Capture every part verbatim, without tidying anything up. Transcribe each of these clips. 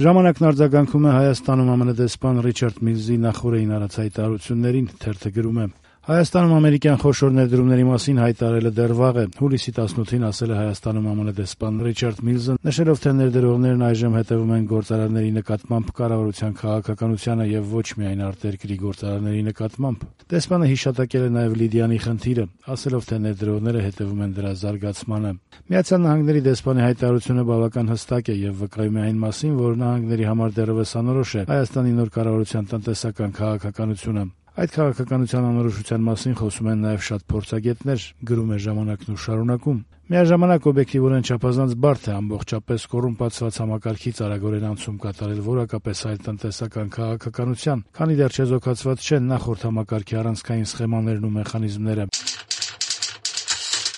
Ժամանակն արձագանքում է Հայաստանում ԱՄՆ դեսպան Ռիչարդ Միլզի նախօրեին արած հայտարարություններին, թերթը գրում է. Հայաստանում ամերիկյան խոշոր ներդրումների մասին հայտարարելը դեռ վաղ է։ Հուլիսի տասնութին ասել է Հայաստանում ԱՄՆ դեսպան Ռիչարդ Միլզը, նշելով, թե ներդրողներն այժմ հետևում են գործարարների նկատմամբ կառավարության քաղաքականությանը եւ ոչ միայն արտերկրի գործարարների նկատմամբ։ Դեսպանը հիշատակել է նաեւ Լիդիանի խնդիրը, ասելով, թե ներդրողները հետևում են դրա զարգացմանը։ Միացյալ Նահանգների դեսպանի հայտարարությունը բավական հստակ է եւ վկայում է այն մասին, որ նահանգների համար դեռևս անորոշ է Հայաստանի նոր կառավարության տնտեսական քաղաքականությունը։ Այդ քաղաքականության անորոշության մասին խոսում են նաև շատ փորձագետներ, գրում է «Ժամանակն» ու շարունակում. Միաժամանակ օբյեկտիվորեն չափազանց բարդ է ամբողջապես կոռումպացված համակարգից արագորեն անցում կատարել որակապես այլ տնտեսական քաղաքականության, քանի դեռ չեզոքացված չեն նախորդ համակարգի առանցքային սխեմաներն ու մեխանիզմները։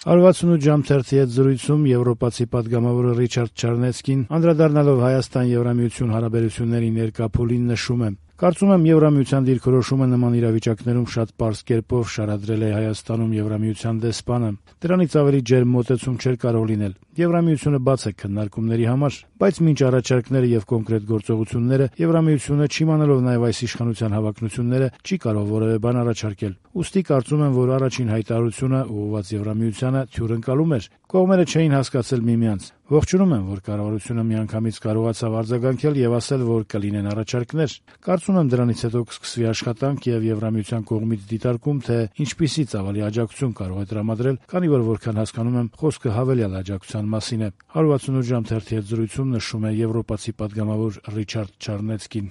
one sixty-eight ժամ թերթի հետ զրույցում եվրոպացի պատգամավորը Ռիչարդ Չարնեցկին, անդրադառնալով Հայաստան-Եվրամիություն հարաբերությունների ներկա փուլին, նշում է. Կարծում եմ, Եվրամիության դիրքորոշումը նման իրավիճակներում շատ պարզ կերպով շարադրել է Հայաստանում Եվրամիության դեսպանը։ Դրանից ավելի ջերմ մոտեցում չէր կարող լինել։ Եվրամիությունը բաց է քննարկումների համար, բայց մինչ առաջարկները եւ կոնկրետ գործողությունները Եվրամիությունը, չիմանալով նաեւ այս իշխանության հավակնությունները, չի կարող որևէ բան առաջարկել։ Ուստի կարծում եմ, որ առաջին հայտարարությունը ուղղված Եվրամիությանը թյուրընկալում էր։ Կողմերը չէին հասկացել միմյանց։ Ողջունում եմ, որ կառավարությունը միանգամից կարողացավ արձագանքել եւ ասել, որ կլինեն առաջարկներ։ Կարծում եմ, դրանից հետո կսկսվի աշխատանք եւ Եվրամիության կողմից դիտարկում, թե ինչպիսի ծավալի աջակցություն կարող է տրամադրել, քանի որ որքան հասկանում եմ, խոսքը հավելյալ աջակցության մասին է։ one sixty-eight ժամ թերթի հետ զրույցում նշում է եվրոպացի պատգամավոր Ռիչարդ Չարնեցկին։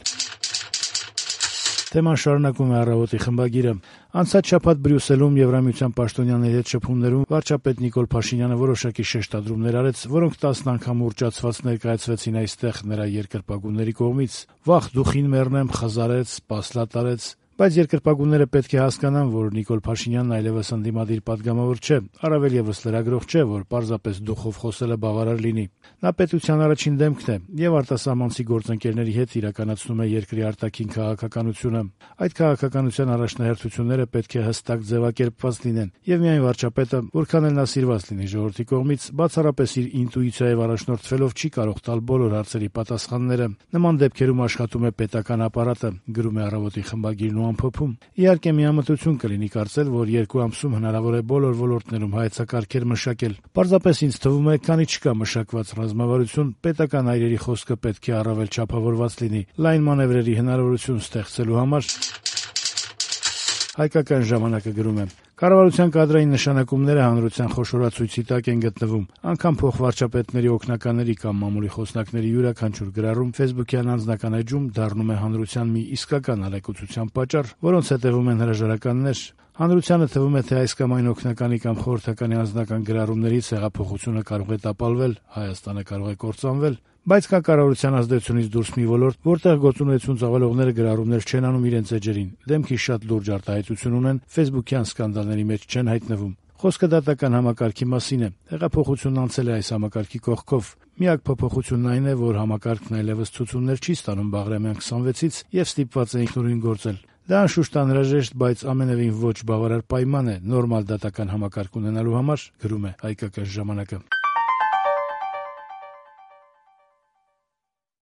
Թեման շարունակում է «Առավոտ»-ի խմբագիրը։ Անցած շաբաթ Բրյուսելում Եվրամիության պաշտոնյաների հետ շփումներում վարչապետ Նիկոլ Փաշինյանը որոշակի շեշտադրումներ արեց, որոնք տասն անգամ ուռճացված ներկայացվեցին այստեղ նրա երկրպագուների կողմից։ Վաղ դուխին մեռնեմ, խզարեց, պասլատարեց։ Բայց երկրպագուները պետք է հասկանան, որ Նիկոլ Փաշինյանն այլևս ընդդիմադիր պատգամավոր չէ, առավել եւս լրագրող չէ, որ պարզապես դուխով խոսելը բավարար լինի։ Նա պետության առաջին դեմքն է եւ արտասահմանցի գործընկերների հետ իրականացնում է երկրի արտաքին քաղաքականությունը։ Այդ քաղաքականության առաջնահերթությունները պետք է հստակ ձևակերպված լինեն եւ միայն վարչապետը, որքան էլ նա սիրված լինի ժողովրդի կողմից, բացառապես իր ինտուիցիայով առաջնորդվելով չի կարող տալ բոլոր հարցերի պատասխանները։ Նման դեպքերում աշխատում է պետական ապարատը, գրում է «Առավոտ»-ի խմբագիրն ու ամփոփում։ Իհարկե միամտություն կլինի կարծել, որ երկու ամսում հնարավոր է բոլոր ոլորտներում հայեցակարգեր մշակել։ Պարզապես ինձ թվում է, քանի չկա մշակված ռազմավարություն, պետական այրերի խոսքը պետք է առավել չափավորված լինի, լայն մանևրերի հնարավորություն ստեղծելու համար։ Հայկական ժամանակը գրում է. Կառավարության կադրային նշանակումները հանրության խոշորացույցի տակ են գտնվում։ Անգամ փոխվարչապետների օգնականների կամ մամուլի խոսնակների յուրաքանչյուր գրառում ֆեյսբուքյան անձնական էջում դառնում է հանրության մի իսկական ալեկոծության պատճառ, որոնց հետևում են հրաժարականներ։ Հանրությանը թվում է, թե այս կամ այն օգնականի կամ խորհրդականի անձնական գրառումներից հեղափոխությունը կարող է տապալվել, Հայաստանը կարող է կործանվել։ Բայց կա կառավարության ազդեցությունից դուրս մի ոլորտ, որտեղ գործունեություն ծավալողները գրառումներ չեն անում իրենց էջերին, դեմքի շատ լուրջ արտահայտություն ունեն, ֆեյսբուքյան սկանդալների մեջ չեն հայտնվում։ Խոսքը դատական համակարգի մասին է։ Հեղափոխությունն անցել է այս համակարգի կողքով։ Միակ փոփոխությունն այն է, որ համակարգն այլևս ցուցումներ չի ստանում Բաղրամյան քսանվեցից եւ ստիպված է ինքնուրույն գործել։ Դա անշուշտ անհրաժեշտ, բայց ամենևին ոչ բավարար պայման է նորմալ դատական համակարգ ունենալու համար, գրում է Հայկական ժամանակը։